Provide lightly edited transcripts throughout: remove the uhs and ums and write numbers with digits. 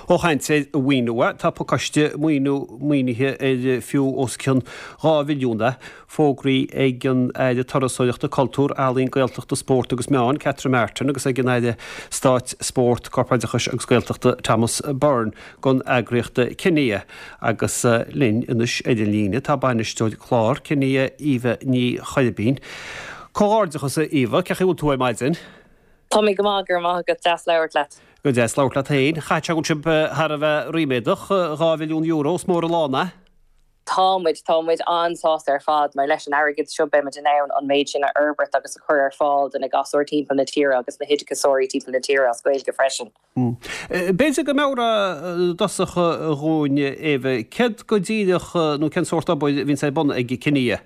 Ó chaint ar mhaoiniú, tá pacáiste maoiniú maoinithe ar fiú os cionn 2 mhilliún é, fógraithe ag an Aire Turasóireachta, Cultúir, Ealaíon, Gaeltachta, Spóirt agus Meán, Catherine Martin agus ag an Aire Stáit Spóirt, Corpoideachais agus Gaeltachta, Thomas Byrne don eagraíocht Kinia. Agus linn anois ar an líne tá Bainisteoir Clár Kinia, Eva Ní Choirbín. Comhghairdeachas a Eva, cén chaoi a bhfuil tú ar maidin? Tá mé go maith, go raibh maith agat, deas labhairt leat. Go deas labhairt leat féin. Chaithfeadh sé go bhfuil sibh thar a bheith ríméadach, €2 mhilliún, is mór an lán é. Tá muid, tá muid an-sásta ar fad mar leis an airgead seo beidh muid in ann an méid sin a fhorbairt agus a chur ar fáil do na gasúir timpeall na tíre agus na hoideachasóirí timpeall na tíre as Gaeilge freisin. B'fhéidir go meabhrófá i dtosach dhúinn, Eva, céard go díreach nó cén sórt obair a bhíonns ar bun ag Kinia?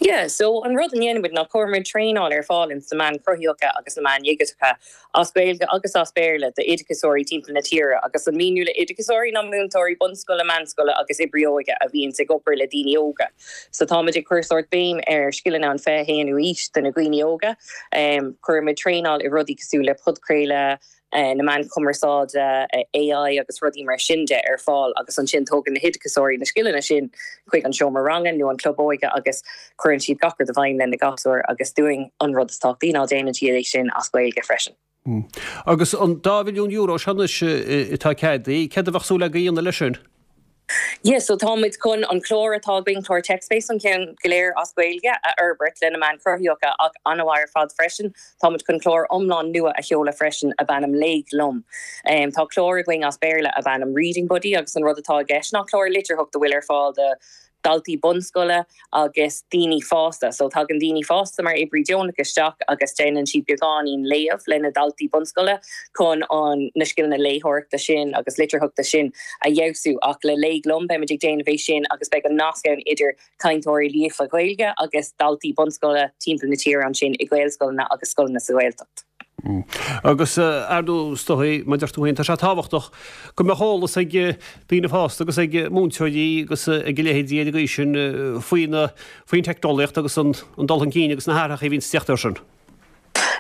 Yeah, so an rud a dhéanann muid ná cuireann muid traenáil ar fáil ins na meáin chruthaitheacha agus na meáin dhigiteacha as Gaeilge agus as Béarla d'oideachasóirí timpeall na tíre agus an míniú le oideachasóirí ná múinteoirí bunscoile, meánscoile agus oibrí óige a bhíonns ag obair le daoine óga. So tá muid ag cur sórt béim ar scileanna an 21ú aois do na dhaoine óga. Cuireann muid traenáil i rudaí cosúil le podchraoladh, na meáin chumarsáide, AI agus rudaí mar sin de ar fáil agus ansin tógann na hoideachasóirí na scileanna sin chuig an seomra ranga nó an club óige agus cuireann siad gach rud i bhfeidhm le na gasúir agus dúinn an rud is tábhachtaí ná déanann siad é sin as Gaeilge freisin. Agus an dá mhilliún euro seo anois atá ceadaithe, céard a bheadh súil agaibh a dhéanamh leis sin? Yeah, so tá muid chun an clár atá againn, clár TechSpace, an ceann go léir as Gaeilge, a fhorbairt le na meáin chruthaitheacha ach an-mhaith ar fad freisin. Tá muid chun clár iomlán nua a sheoladh freisin ab ainm Léigh Liom. Tá clár againn as Béarla ab ainm Reading Buddy agus an rud atá i gceist ná clár litearthachta a bhfuil ar fáil do daltaí bunscoile agus daoine fásta. So tagann daoine fásta mar oibrí deonach isteach agus déanann siad beagáinín léamh le na daltaí bunscoile chun an na scileanna léitheoireachta sin agus litearthachta sin a fheabhsú. Ach le Léigh Liom beimid ag déanamh é sin agus beidh an nasc ann idir cainteoirí líofa Gaeilge agus daltaí bunscoile timpeall na tíre ansin i Gaelscoileanna agus scoileanna sa Ghaeltacht. Agus, ar ndóigh, is dóigh, mar a deir tú féin, tá sé tábhachtach go mbeadh eolas ag daoine fásta agus ag múinteoirí agus ag a leithéidí ar an gcaoi sin faoin faoin teicneolaíocht agus an dul chun cinn agus na hathrachaí a bhíonns ag teacht air sin.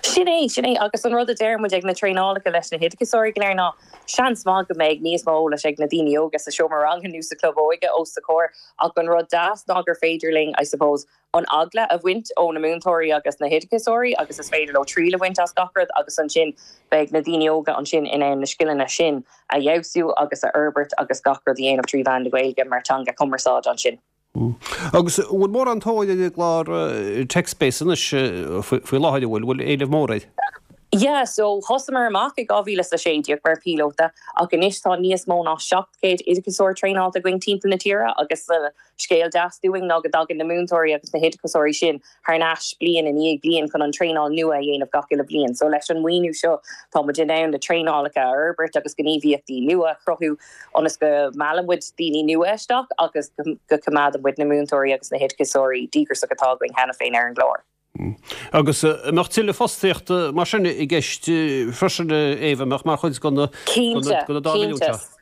Sin é, sin é. Agus an rud a deir muid ag na traenálacha leis na hoideachasóirí go léir ná seans maith go mbeidh níos mó eolais ag na daoine óga sa seomra ranga nó sa chlub óige os a gcomhair ach an rud deas ná gur féidir linn, I suppose, an eagla a bhaint ó na múinteoirí agus na hoideachasóirí agus is féidir leo triail a bhaint as gach rud agus ansin beidh na daoine óga ansin in ann na scileanna sin a fheabhsú agus a fhorbairt agus gach rud a dhéanamh 3 mheán na Gaeilge mar teanga cumarsáide ansin. Agus an bhfuil mórán tóir ar an gclár TechSpace anois faoi láthair, an bhfuil, bhfuil éileamh mór air? Yeah, so thosamar amach i 2016 mar píolóta ach anois tá níos mó ná 700 oideachasóir traenáilte againn timpeall na tíre agus Scéal deas dúinn ná go dtagann na múinteoirí agus na hoideachasóirí sin thar n-ais bliain i ndiaidh bliain chun an traenáil nua a dhéanamh gach uile bhliain. So leis an maoiniú seo tá muid in ann na traenálacha a fhorbairt agus gníomhaíochtaí nua a chruthú ionas go meallann muid daoine nua isteach agus go coimeádann muid na múinteoirí agus na hoideachasóirí díograiseach atá againn cheana féin ar an gclár. Agus an mbeadh tuilleadh fostaíochta mar sin i gceist freisin, Eva, an mbeadh mar chuid de na dá mhilliún seo? Cinnte.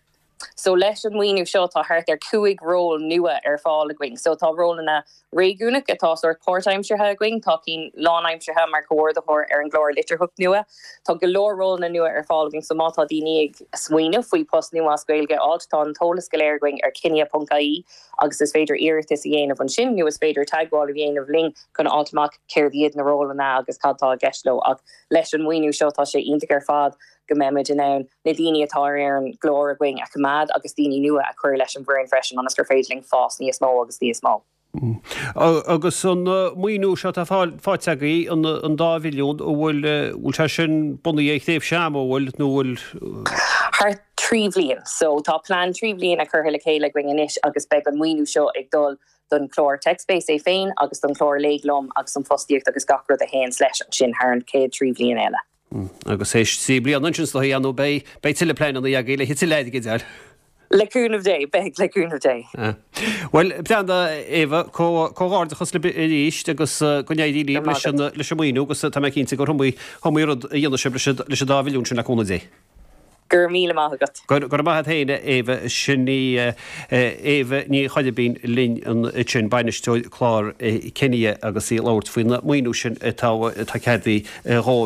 So leis an maoiniú seo tá thart ar 5 ról nua ar fáil againn. So tá rólanna réigiúnach atá sórt páirtaimseartha againn, tá cinn lánaimseartha mar chomhordaitheoir ar an gclár litearthacht nua. Tá go leor rólanna nua ar fáil againn so má tá daoine ag smaoineamh faoi post nua as Gaeilge a fháilt tá an t-eolas go léir againn ar kinia.ie. agus is féidir iarratas a dhéanamh ansin nó is féidir teagmháil a dhéanamh linn chun a fháilt amach céard iad na rólanna agus cad tá i gceist leo. Ach leis an maoiniú seo tá sé iontach ar fad go mbeimid in ann na daoine atá ar an gclár againn a choimeád agus daoine nua a chur leis an bhfoireann freisin ionas gur féidir linn fás níos mó agus níos mó. Agus an maoiniú seo atá faighte agaibh, an dá mhilliún, an bhfuil, bhfuil sé sin bunaithe ar thréimhse ama, an bhfuil, nó an bhfuil? Thar 3 bhliain. So tá plean 3 bliana curtha le chéile againn anois agus beidh an maoiniú seo ag dul don chlár TechSpace é féin agus don chlár Léigh Liom agus an fostaíocht agus gach rud a théanns leis ansin thar an chéad 3 bhliain eile. Agus théis 3 bliana ansin is dóigh, ar ndóigh, beidh, beidh tuilleadh pleananna agaibh le tuilleadh airgid a fháil. Le cúnamh Dé, beidh, le cúnamh Dé. Bhuel, breathnaigh, Eva, comhghairdeachas libh arís agus go n-éirí libh leis an, leis an maoiniú agus tá mé cinnte gur iomaí, iomaí rud a dhéanfaidh sibh leis an, leis an dá mhilliún sin le cúnamh Dé. Go raibh míle maith agat. Go raibh maith agat féin, a Eva. Sin í Eva Ní Choirbín linn ansin, bainisteoir clár Kinia agus í ag labhairt faoin maoiniú sin atá, atá ceadaithe dhóibh.